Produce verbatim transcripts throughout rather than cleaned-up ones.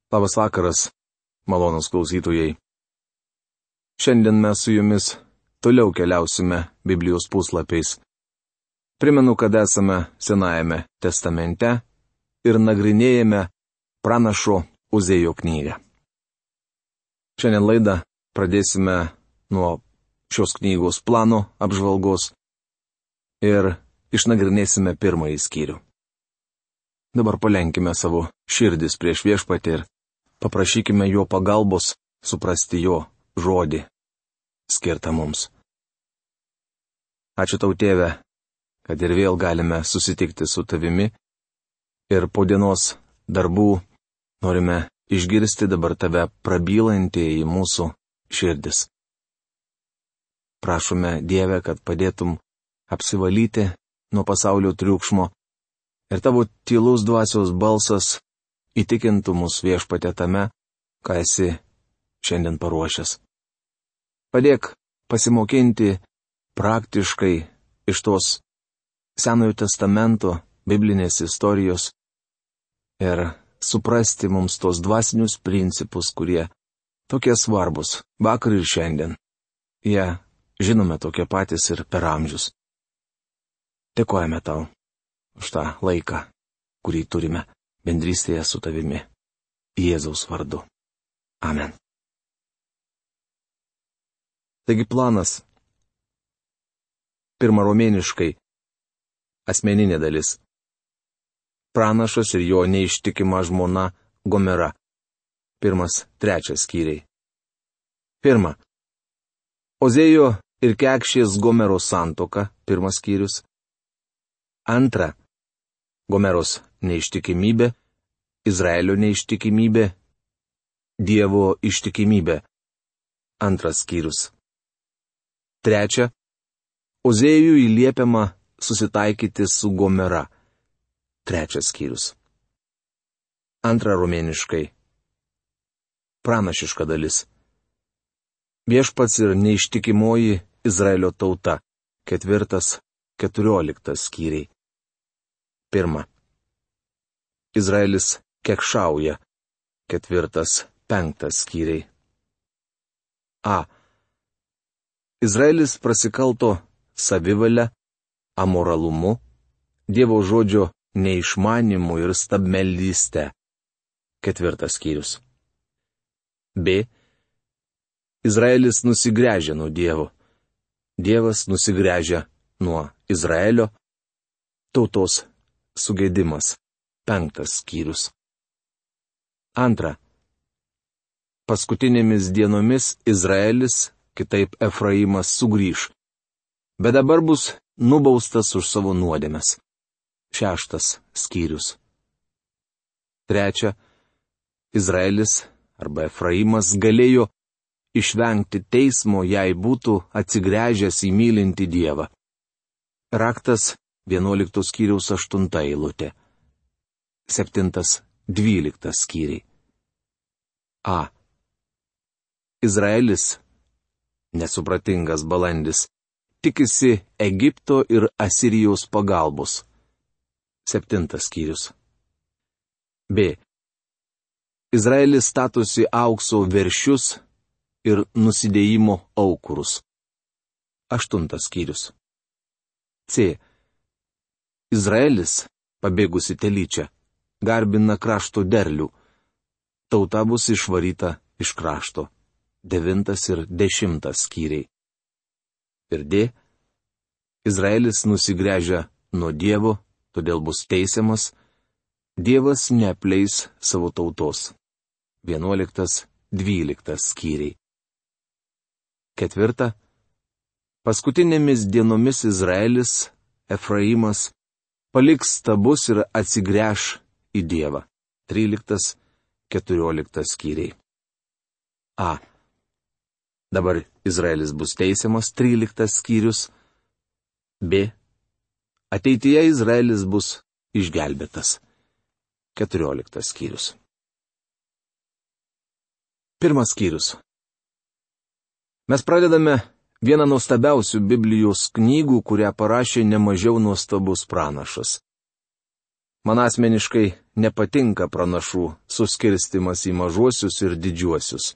Labas vakaras, malonūs klausytojai. Šiandien mes su jumis toliau keliausime Biblijos puslapiais. Primenu, kad esame Senajame testamente ir nagrinėjame pranašo Uzėjo knygą. Šiandien laidą pradėsime nuo šios knygos plano apžvalgos ir išnagrinėsime pirmąjį skyrių. Dabar palenkime savo širdis prieš Viešpatį ir paprašykime jo pagalbos suprasti jo žodį, skirtą mums. Ačiū tau, Tėve, kad ir vėl galime susitikti su tavimi ir po dienos darbų norime išgirsti dabar tave prabylantį į mūsų širdis. Prašome, Dieve, kad padėtum apsivalyti nuo pasaulio triukšmo ir tavo tylus dvasios balsas įtikintų mus, Viešpatie, tame, ką esi šiandien paruošęs. Padėk pasimokinti praktiškai iš tos Senojo testamento biblinės istorijos ir suprasti mums tos dvasinius principus, kurie tokie svarbus vakar ir šiandien. Jie, žinome, tokie patys ir per amžius. Dėkojame tau už tą laiką, kurį turime bendrystėje su tavimi. Jėzaus vardu. Amen. Taigi planas. Pirma romėniškai. Asmeninė dalis. Pranašas ir jo neištikima žmona Gomera. Pirmas, trečias skyriai. Pirma. Ozėjo ir Kekšės Gomeros santuoka. Pirmas skyrius. Antra. Gomeros neištikimybė, Izraelio neištikimybė, Dievo ištikimybė. Antras skyrius. Trečia. Ozėjui liepiama susitaikyti su Gomera. Trečias skyrius. Antra romėniškai. Pranašiška dalis. Viešpats ir neištikimoji Izraelio tauta. Ketvirtas, keturioliktas skyriai. Pirma. Izraelis kekšauja. Ketvirtas, penktas skyriai. A. Izraelis prasikalto savivalę, amoralumu, Dievo žodžio neišmanimu ir stabmeldystę. Ketvirtas skyrius. B. Izraelis nusigręžia nuo Dievo. Dievas nusigręžia nuo Izraelio. Tautos sugėdimas. Penktas skyrius. Antra. Paskutinėmis dienomis Izraelis, kitaip Efraimas, sugrįž, bet dabar bus nubaustas už savo nuodėmes. Šeštas skyrius. Trečia. Izraelis arba Efraimas galėjo išvengti teismo, jei būtų atsigręžęs į mylintį Dievą. Raktas vienuoliktos skyriaus aštunta eilutė. Septintas, dvyliktas skyriai. A. Izraelis, nesupratingas balandis, tikisi Egipto ir Asirijos pagalbos. Septintas skyrius. B. Izraelis statosi aukso veršius ir nusidėjimo aukurus. Aštuntas skyrius. C. Izraelis, pabėgusi telyčia, garbina krašto derlių. Tauta bus išvaryta iš krašto. Devintas ir dešimtas skyriai. Ir D. Izraelis nusigręžia nuo Dievo, todėl bus teisiamas. Dievas neapleis savo tautos. Vienuoliktas, dvyliktas skyriai. Ketvirta. Paskutinėmis dienomis Izraelis, Efraimas, paliks stabus ir atsigręš į Dievą. Tryliktas, keturioliktas skyriai. A. Dabar Izraelis bus teisiamas. Tryliktas skyrius. B. Ateityje Izraelis bus išgelbėtas. Keturioliktas skyrius. Pirmas skyrius. Mes pradedame vieną nuostabiausių Biblijos knygų, kurią parašė nemažiau nuostabus pranašas. Man asmeniškai nepatinka pranašų suskirstimas į mažuosius ir didžiuosius.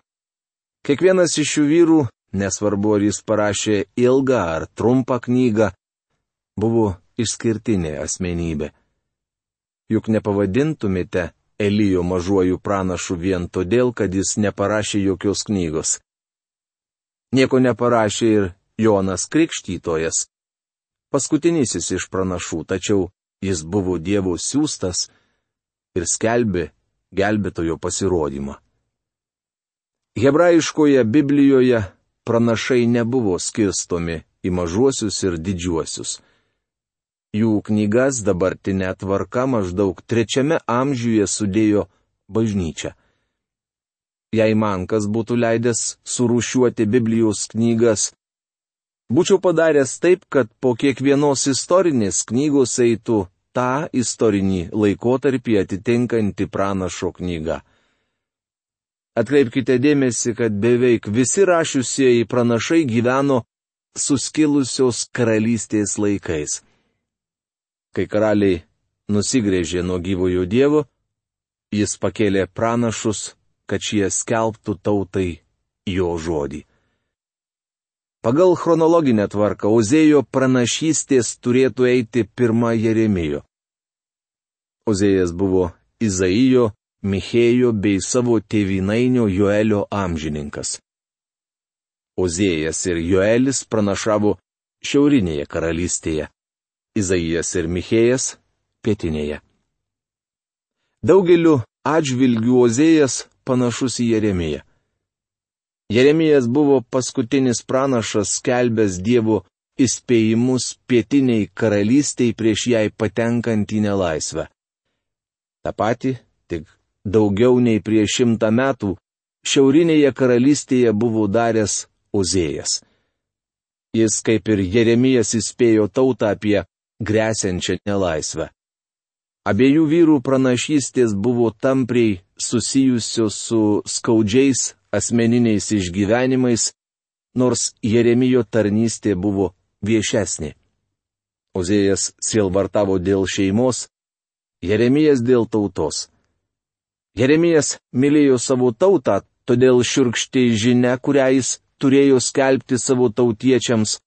Kiekvienas iš šių vyrų, nesvarbu ar jis parašė ilgą ar trumpą knygą, buvo išskirtinė asmenybė. Juk nepavadintumėte Elijo mažuoju pranašu vien todėl, kad jis neparašė jokios knygos. Nieko neparašė ir Jonas Krikštytojas, paskutinysis iš pranašų, tačiau jis buvo Dievo siųstas ir skelbė gelbėtojo pasirodymą. Hebrajiškoje Biblijoje pranašai nebuvo skirstomi į mažuosius ir didžiuosius. Jų knygas dabartinė tvarka maždaug trečiame amžiuje sudėjo bažnyčia. Jei man kas būtų leidęs surūšiuoti Biblijos knygas, būčiau padaręs taip, kad po kiekvienos istorinės knygos eitų tą istorinį laikotarpį atitinkanti pranašo knyga. Atkreipkite dėmesį, kad beveik visi rašiusieji pranašai gyveno suskilusios karalystės laikais. Kai karaliai nusigręžė nuo gyvojo Dievo, jis pakėlė pranašus, kad šie skelbtų tautai jo žodį. Pagal chronologinę tvarką Ozėjo pranašystės turėtų eiti pirma Jeremijo. Ozėjas buvo Izaijo, Michėjo bei savo tėvynainio Joelio amžininkas. Ozėjas ir Joelis pranašavo šiaurinėje karalystėje. Izaijas ir Michėjas pietinėje. Daugeliu atžvilgių Ozėjas panašus į Jeremiją. Jeremijas buvo paskutinis pranašas skelbęs Dievo įspėjimus pietiniai karalystiai prieš jai patenkant į nelaisvę. Ta pati, tik daugiau nei prieš šimtą metų, šiaurinėje karalystėje buvo daręs Ozėjas. Jis, kaip ir Jeremijas, įspėjo tautą apie gresiančią nelaisvę. Abiejų vyrų pranašystės buvo tampriai susijusios su skaudžiais asmeniniais išgyvenimais, nors Jeremijo tarnystė buvo viešesnė. Ozėjas sielvartavo dėl šeimos, Jeremijas dėl tautos. Jeremijas mylėjo savo tautą, todėl šiurkščiai žinia, kurią jis turėjo skelbti savo tautiečiams,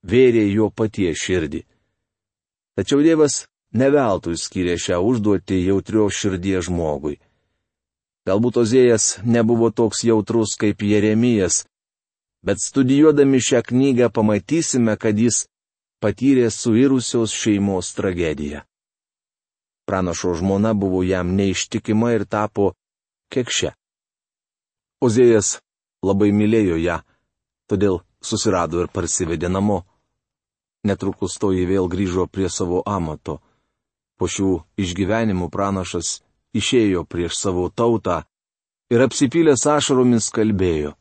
vėrė jo paties širdį. Tačiau Dievas neveltui skyrė šią užduotį jautrios širdies žmogui. Galbūt Ozėjas nebuvo toks jautrus kaip Jeremijas, bet studijuodami šią knygą pamatysime, kad jis patyrė suirusios šeimos tragediją. Pranašo žmona buvo jam neištikima ir tapo kekše. Ozėjas labai mylėjo ją, todėl susirado ir parsivedė namo. Netrukus toji vėl grįžo prie savo amato. Po šių išgyvenimų pranašas išėjo prieš savo tautą ir apsipylęs ašaromis kalbėjo.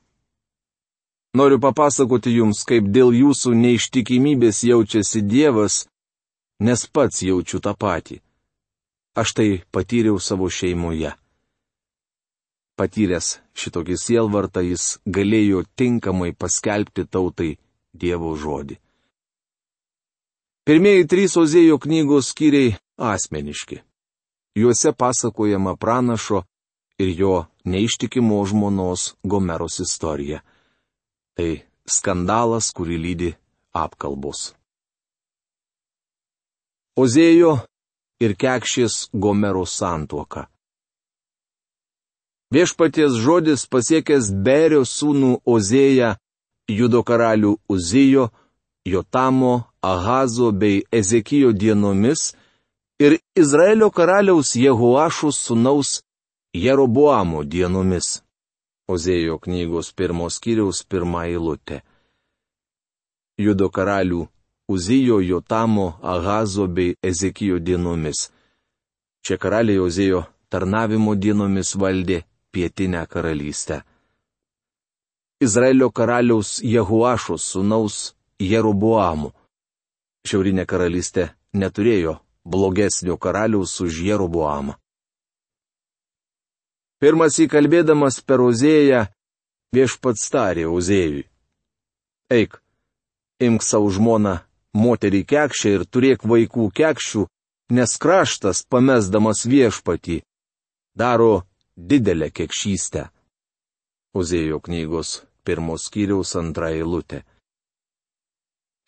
Noriu papasakoti jums, kaip dėl jūsų neištikimybės jaučiasi Dievas, nes pats jaučiu tą patį. Aš tai patyriau savo šeimoje. Patyręs šitokį sielvartą, jis galėjo tinkamai paskelbti tautai Dievo žodį. Pirmieji trys Ozėjo knygos skyriai asmeniški. Juose pasakojama pranašo ir jo neištikimo žmonos Gomeros istorija. Tai skandalas, kurį lydi apkalbos. Ozėjo ir kekšės Gomeros santuoka. Viešpaties žodis pasiekęs Berio sūnų Ozėją, Judo karalių Uzijo, Jotamo, Ahazo bei Ezekijo dienomis ir Izraelio karaliaus Jehoašo sūnaus Jeroboamo dienomis. Ozėjo knygos pirmos skyriaus pirma eilutė. Judo karalių Uzijo, Jotamo, Ahazo bei Ezekijo dienomis. Šie karaliai Ozėjo tarnavimo dienomis valdė pietinę karalystę. Izraelio karaliaus Jehoašo sūnaus Jeroboamo. Šiaurinė karalystė neturėjo blogesnio karaliaus už Jeroboamą. Pirmas įkalbėdamas per Ozėją, viešpats tarė Ozėjui. Eik, imk savo žmoną, moterį kekšę ir turėk vaikų kekšių, nes kraštas, pamesdamas viešpatį, daro didelę kekšystę. Ozėjo knygos pirmos skyriaus antra eilutė.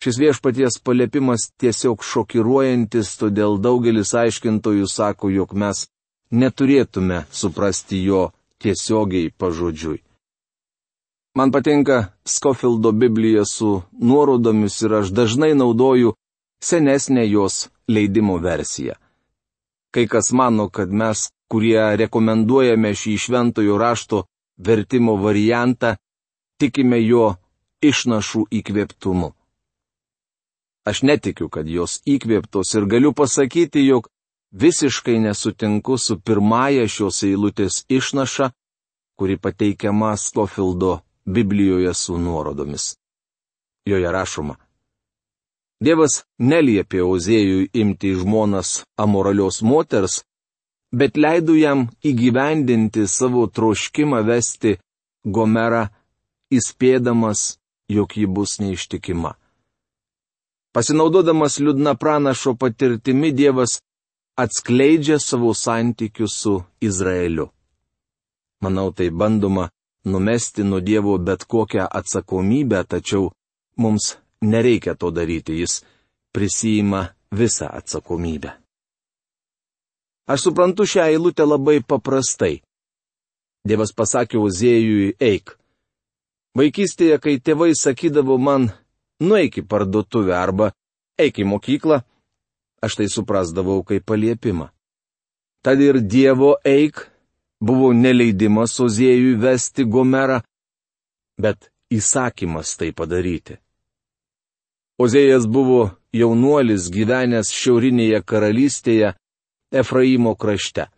Šis viešpaties paliepimas tiesiog šokiruojantis, todėl daugelis aiškintojų sako, jog mes neturėtume suprasti jo tiesiogiai pažodžiui. Man patinka Scofieldo Biblija su nuorodomis ir aš dažnai naudoju senesnę jos leidimo versiją. Kai kas mano, kad mes, kurie rekomenduojame šį šventojo rašto vertimo variantą, tikime jo išnašų įkvėptumu. Aš netikiu, kad jos įkvėptos ir galiu pasakyti, jog visiškai nesutinku su pirmąja šios eilutės išnaša, kuri pateikiama Scofieldo Biblijoje su nuorodomis. Joje rašoma: Dievas neliepė Ozėjui imti žmonas amoralios moters, bet leido jam įgyvendinti savo troškimą vesti Gomerą, įspėdamas, jog ji bus neištikima. Pasinaudodamas liūdna pranašo patirtimi, Dievas atskleidžia savo santykius su Izraeliu. Manau, tai bandoma numesti nuo Dievo bet kokią atsakomybę, tačiau mums nereikia to daryti, jis prisijima visą atsakomybę. Aš suprantu šią eilutę labai paprastai. Dievas pasakė Ozėjui: eik. Vaikystėje, kai tėvai sakydavo man: nueik į parduotuvę arba eik į mokyklą, aš tai suprasdavau kaip paliepimą. Tad ir Dievo eik buvo neleidimas Ozėjui vesti Gomerą, bet įsakymas tai padaryti. Ozėjas buvo jaunuolis gyvenęs šiaurinėje karalystėje Efraimo krašte.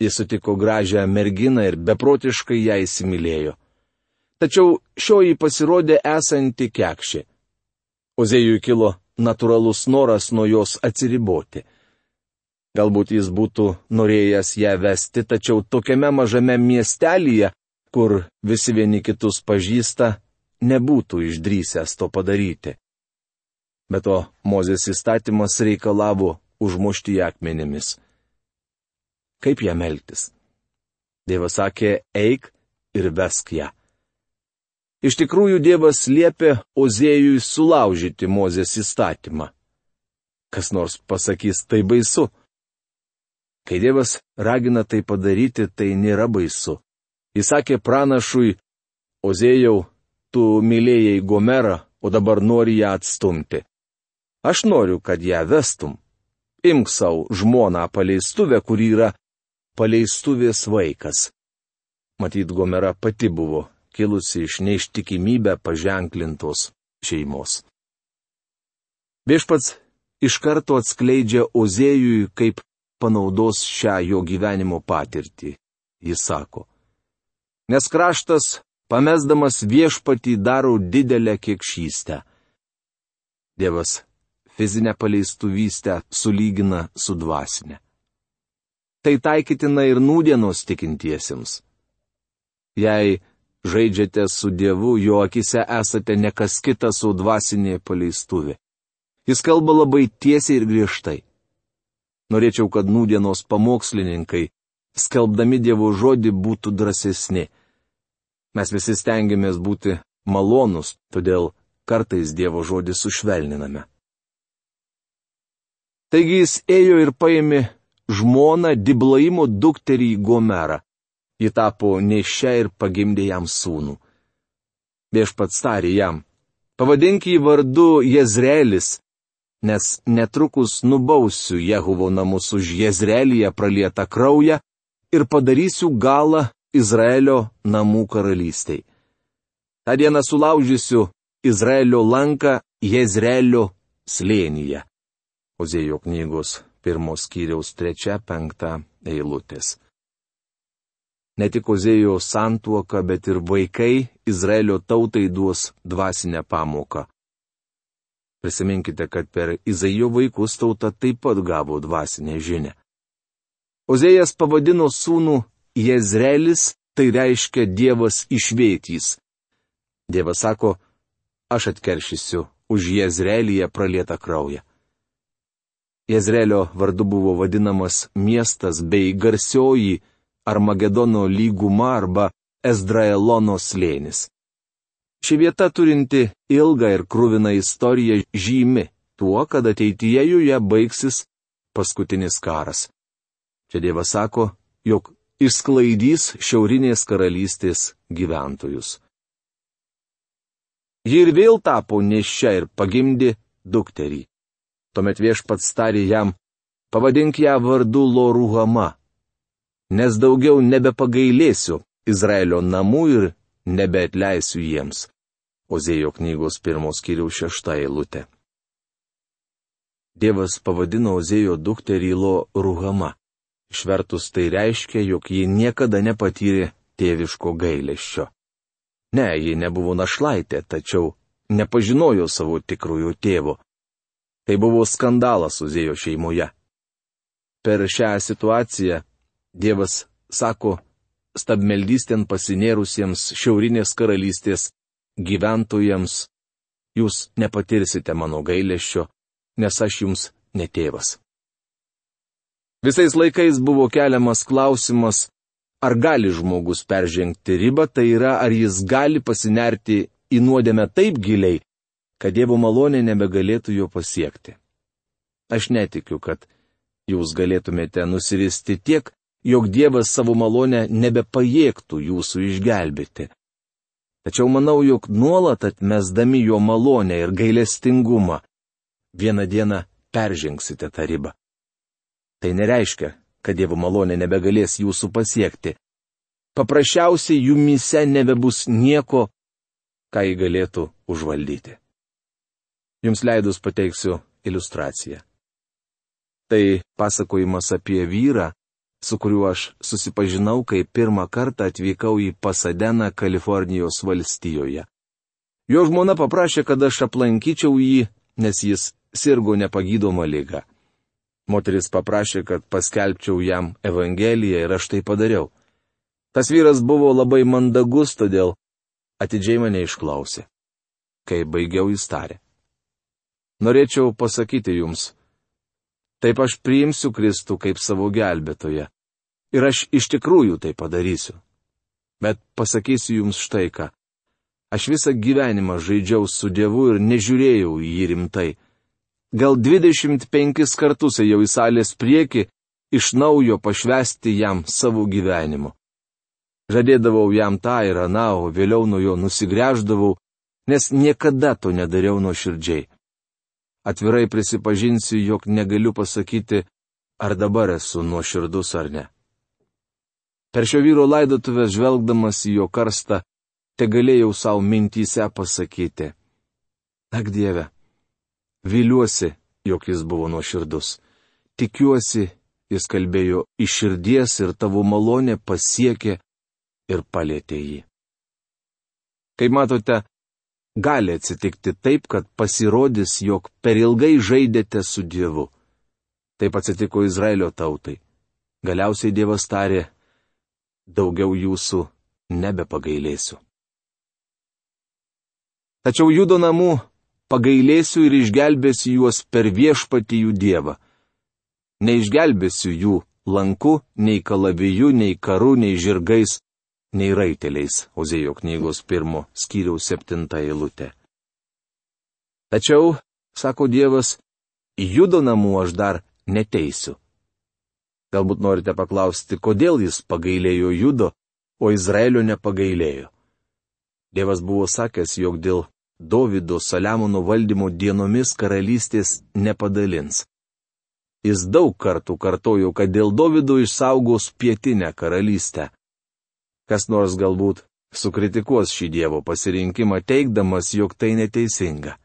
Jis sutiko gražią merginą ir beprotiškai ją įsimylėjo. Tačiau šioji pasirodė esanti kekšė. Ozėjui kilo natūralus noras nuo jos atsiriboti. Galbūt jis būtų norėjęs ją vesti, tačiau tokiame mažame miestelyje, kur visi vieni kitus pažįsta, nebūtų išdrįsęs to padaryti. Be to, Mozės įstatymas reikalavo užmušti ją akmenimis. Kaip ją elgtis? Dievas sakė: eik ir vesk ją. Iš tikrųjų, Dievas liepė Ozėjui sulaužyti Mozės įstatymą. Kas nors pasakys, tai baisu. Kai Dievas ragina tai padaryti, tai nėra baisu. Jis sakė pranašui: Ozėjau, tu mylėjai Gomerą, o dabar nori ją atstumti. Aš noriu, kad ją vestum. Imk savo žmoną paleistuvę, kuri yra paleistuvės vaikas. Matyt, Gomera pati buvo kilusi iš neištikimybę paženklintos šeimos. Viešpats iš karto atskleidžia Ozėjui, kaip panaudos šią jo gyvenimo patirtį. Jis sako: nes kraštas, pamesdamas viešpatį, daro didelę kekšystę. Dievas fizinę paleistuvystę sulygina su dvasinė. Tai taikytina ir nūdienos tikintiesiems. Jei žaidžiate su Dievu, jo akise esate ne kas kitas, o dvasinė paleistuvė. Jis kalba labai tiesiai ir griežtai. Norėčiau, kad nūdienos pamokslininkai, skelbdami Dievo žodį, būtų drąsesni. Mes visi stengiamės būti malonus, todėl kartais Dievo žodį sušvelniname. Taigi jis ėjo ir paėmė žmoną Diblaimo dukterį Gomerą. Ji tapo nėščia ir pagimdė jam sūnų. Viešpats tarė jam: pavadink jį vardu Jezreelis, nes netrukus nubausiu Jehovo namus už Jezreelyje pralietą kraują ir padarysiu galą Izraelio namų karalystei. Ta diena sulaužysiu Izraelio lanką Jezreelio slėnyje. Ozėjo knygos pirmos skyriaus trečia penkta eilutės. Ne tik Ozėjo santuoka, bet ir vaikai Izraelio tautai duos dvasinę pamoką. Prisiminkite, kad per Izaijo vaikus tauta taip pat gavo dvasinę žinią. Ozėjas pavadino sūnų Jezreelis, tai reiškia Dievas išvėtys. Dievas sako: aš atkeršysiu už Jezreelyje pralietą kraują. Jezreelio vardu buvo vadinamas miestas bei garsioji Armagedono lyguma arba Ezdraelono slėnis. Ši vieta turinti ilgą ir kruviną istoriją žymi tuo, kad ateityje joje baigsis paskutinis karas. Čia Dievas sako, jog išsklaidys šiaurinės karalystės gyventojus. Ji ir vėl tapo nėščia ir pagimdė dukterį. Tuomet Viešpats tarė jam, pavadink ją vardu Lo-Ruhama, nes daugiau nebepagailėsiu Izraelio namų ir nebeatleisiu jiems. Ozėjo knygos pirmos skyriaus šešta eilutė. Dievas pavadino Ozėjo dukterį Lo-Ruhama. Išvertus tai reiškia, jog ji niekada nepatyrė tėviško gailesčio. Ne, ji nebuvo našlaitė, tačiau nepažinojo savo tikrojo tėvo. Tai buvo skandalas Ozėjo šeimoje. Per šią situaciją Dievas sako stabmeldystėn pasinėrusiems šiaurinės karalystės gyventojams, jūs nepatirsite mano gailesčio, nes aš jums ne tėvas. Visais laikais buvo keliamas klausimas, ar gali žmogus peržengti ribą, tai yra, ar jis gali pasinerti į nuodėmę taip giliai, kad Dievo malonė nebegalėtų jo pasiekti. Aš netikiu, kad jūs galėtumėte nusiristi tiek, jog Dievas savo malonę nebepajėgtų jūsų išgelbėti. Tačiau manau, jog nuolat atmesdami jo malonę ir gailestingumą, vieną dieną peržengsite tą ribą. Tai nereiškia, kad Dievo malonė nebegalės jūsų pasiekti. Paprasčiausiai jumyse nebebus nieko, ką jį galėtų užvaldyti. Jums leidus pateiksiu iliustraciją. Tai pasakojimas apie vyrą, su kuriuo aš susipažinau, kai pirmą kartą atvykau į Pasadeną, Kalifornijos valstijoje. Jo žmona paprašė, kad aš aplankyčiau jį, nes jis sirgo nepagydoma liga. Moteris paprašė, kad paskelbčiau jam Evangeliją ir aš tai padariau. Tas vyras buvo labai mandagus, todėl atidžiai mane išklausė. Kai baigiau, jis tarė: norėčiau pasakyti jums, taip aš priimsiu Kristų kaip savo gelbėtoją. Ir aš iš tikrųjų tai padarysiu. Bet pasakysiu jums štai ką. Aš visą gyvenimą žaidžiau su Dievu ir nežiūrėjau į jį rimtai. Gal dvidešimt penkis kartus ėjau į salės priekį, iš naujo pašvęsti jam savo gyvenimu. Žadėdavau jam tą ir aną, o vėliau nuo jo nusigręždavau, nes niekada to nedariau nuoširdžiai. Atvirai prisipažinsiu, jog negaliu pasakyti, ar dabar esu nuoširdus ar ne. Per šio vyro laidotuvės žvelgdamas į jo karstą, te galėjau savo mintyse pasakyti: ak Dieve, viliuosi, jog jis buvo nuoširdus. Tikiuosi, jis kalbėjo iš širdies ir tavo malonė pasiekė ir palėtė jį. Kaip matote, gali atsitikti taip, kad pasirodys, jog per ilgai žaidėte su Dievu. Taip atsitiko Izraelio tautai. Galiausiai Dievas tarė: daugiau jūsų nebepagailėsiu. Tačiau Judo namų pagailėsiu ir išgelbėsiu juos per Viešpatį jų Dievą. Neišgelbėsiu jų lanku, nei kalaviju, nei karu, nei žirgais, nei raiteliais. Ozėjo knygos pirmo skyriaus septinta eilutė. Tačiau, sako Dievas, Judo namų aš dar neteisiu. Galbūt norite paklausti, kodėl jis pagailėjo Judo, o Izraelio nepagailėjo. Dievas buvo sakęs, jog dėl Dovydo Saliamono valdymo dienomis karalystės nepadalins. Jis daug kartų kartojo, kad dėl Dovydo išsaugos pietinę karalystę. Kas nors galbūt sukritikuos šį Dievo pasirinkimą, teigdamas, jog tai neteisinga.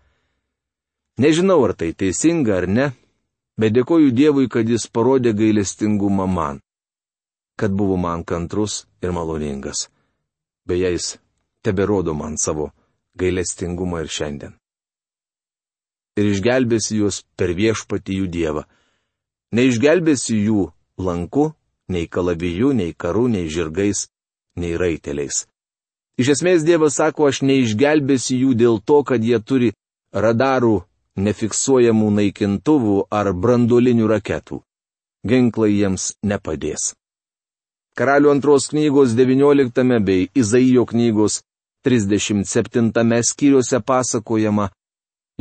Nežinau, ar tai teisinga ar ne, bet dėkoju Dievui, kad jis parodė gailestingumą man, kad buvo man kantrus ir maloningas. Beje, jis teberodo man savo gailestingumą ir šiandien. Ir išgelbėsiu juos per Viešpatį jų Dievą. Neišgelbėsiu jų lanku, nei kalaviju, nei karu, nei žirgais, nei raiteliais. Iš esmės Dievas sako, aš neišgelbėsiu jų dėl to, kad jie turi radarų nefiksuojamų naikintuvų ar branduolinių raketų. Ginklai jiems nepadės. Karalių antros knygos devynioliktame bei Izaijo knygos trisdešimt septintame skyriuose pasakojama,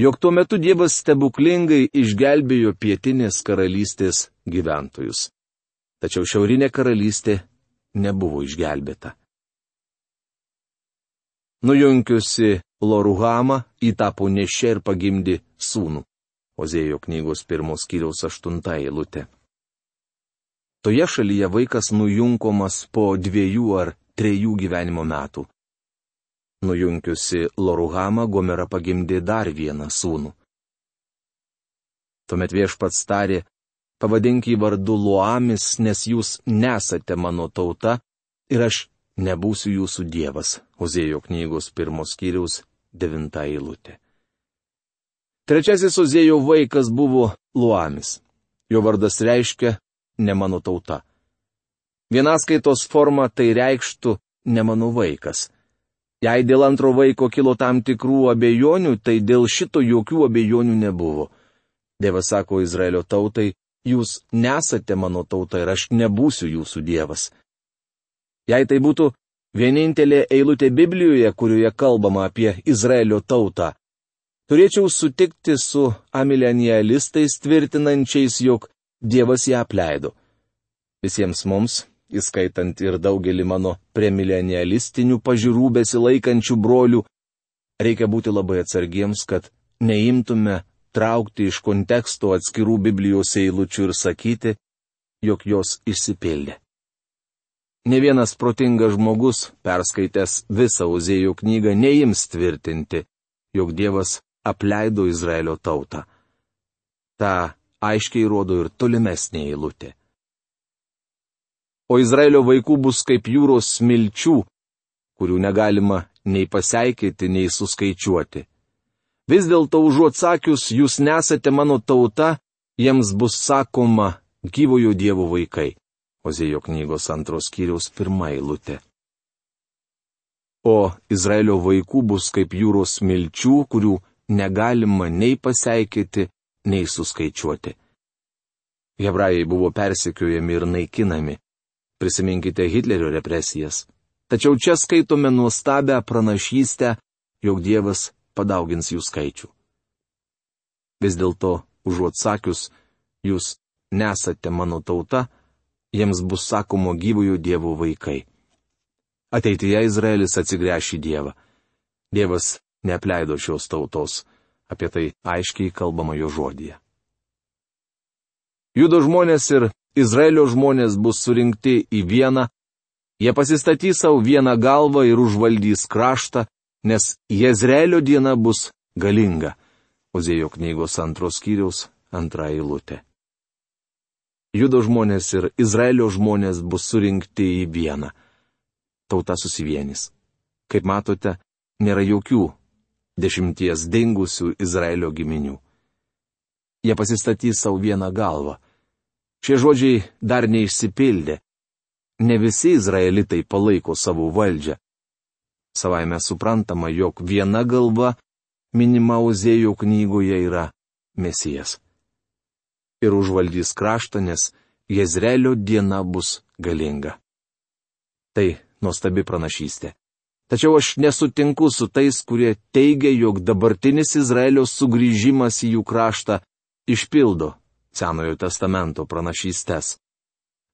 jog tuo metu Dievas stebuklingai išgelbėjo pietinės karalystės gyventojus. Tačiau šiaurinė karalystė nebuvo išgelbėta. Nujunkiusi Loruhamą, ji tapo nešė ir pagimdė sūnų. Ozėjo knygos pirmos skyriaus aštunta eilutė. Toje šalyje vaikas nujunkomas po dviejų ar trejų gyvenimo metų. Nujunkiusi Loruhamą, Gomera pagimdė dar vieną sūnų. Tuomet Viešpats tarė, pavadink jį vardu Luamis, nes jūs nesate mano tauta ir aš nebūsiu jūsų dievas. Ozėjo knygos pirmos skyriaus devinta eilutė. Trečiasis Ozėjo vaikas buvo Luamis. Jo vardas reiškia ne mano tauta. Vienaskaitos forma tai reikštų ne mano vaikas. Jei dėl antro vaiko kilo tam tikrų abejonių, tai dėl šito jokių abejonių nebuvo. Dievas sako Izraelio tautai, jūs nesate mano tauta ir aš nebūsiu jūsų dievas. Jei tai būtų vienintelė eilutė Biblijoje, kurioje kalbama apie Izraelio tautą, turėčiau sutikti su amilenialistais tvirtinančiais, jog Dievas ją apleido. Visiems mums, įskaitant ir daugelį mano premilenialistinių pažiūrų besilaikančių brolių, reikia būti labai atsargiems, kad neimtume traukti iš konteksto atskirų Biblijos eilučių ir sakyti, jog jos išsipildė. Ne vienas protingas žmogus, perskaitęs visą Ozėjo knygą, neims tvirtinti, jog Dievas apleido Izraelio tautą. Ta aiškiai rodo ir tolimesnė eilutė. O Izraelio vaikų bus kaip jūros smilčių, kurių negalima nei paseikėti, nei suskaičiuoti. Vis dėlto užuot sakius, jūs nesate mano tauta, jiems bus sakoma gyvojo Dievo vaikai. Ozėjo knygos antros skyriaus pirma eilutė. O Izraelio vaikų bus kaip jūros smilčių, kurių negalima nei paseikėti, nei suskaičiuoti. Hebrajai buvo persekiojami ir naikinami. Prisiminkite Hitlerio represijas. Tačiau čia skaitome nuostabią pranašystę, jog Dievas padaugins jų skaičių. Vis dėlto, užuot sakius, jūs nesate mano tauta, jiems bus sakomo gyvojo Dievo vaikai. Ateityje Izraelis atsigręš į Dievą. Dievas neapleido šios tautos. Apie tai aiškiai kalbama jo žodyje. Judo žmonės ir Izraelio žmonės bus surinkti į vieną, jie pasistatys savo vieną galvą ir užvaldys kraštą, nes Jezreelio diena bus galinga. Ozėjo knygos antros skyriaus antra eilutė. Judo žmonės ir Izraelio žmonės bus surinkti į vieną. Tauta susivienys. Kaip matote, nėra jokių dešimties dingusių Izraelio giminių. Jie pasistatys savo vieną galvą. Šie žodžiai dar neišsipildė. Ne visi izraelitai palaiko savo valdžią. Savaime suprantama, jog viena galva minima Ozėjo knygoje yra Mesijas. Ir užvaldys kraštą, nes Jezreelio diena bus galinga. Tai nuostabi pranašystė. Tačiau aš nesutinku su tais, kurie teigia, jog dabartinis Izraelio sugrįžimas į jų kraštą išpildo Senojo testamento pranašystes.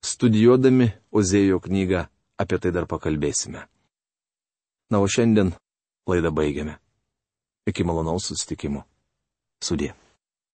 Studijuodami Ozėjo knygą apie tai dar pakalbėsime. Na, o šiandien laidą baigiame. Iki malonaus susitikimo. Sudie.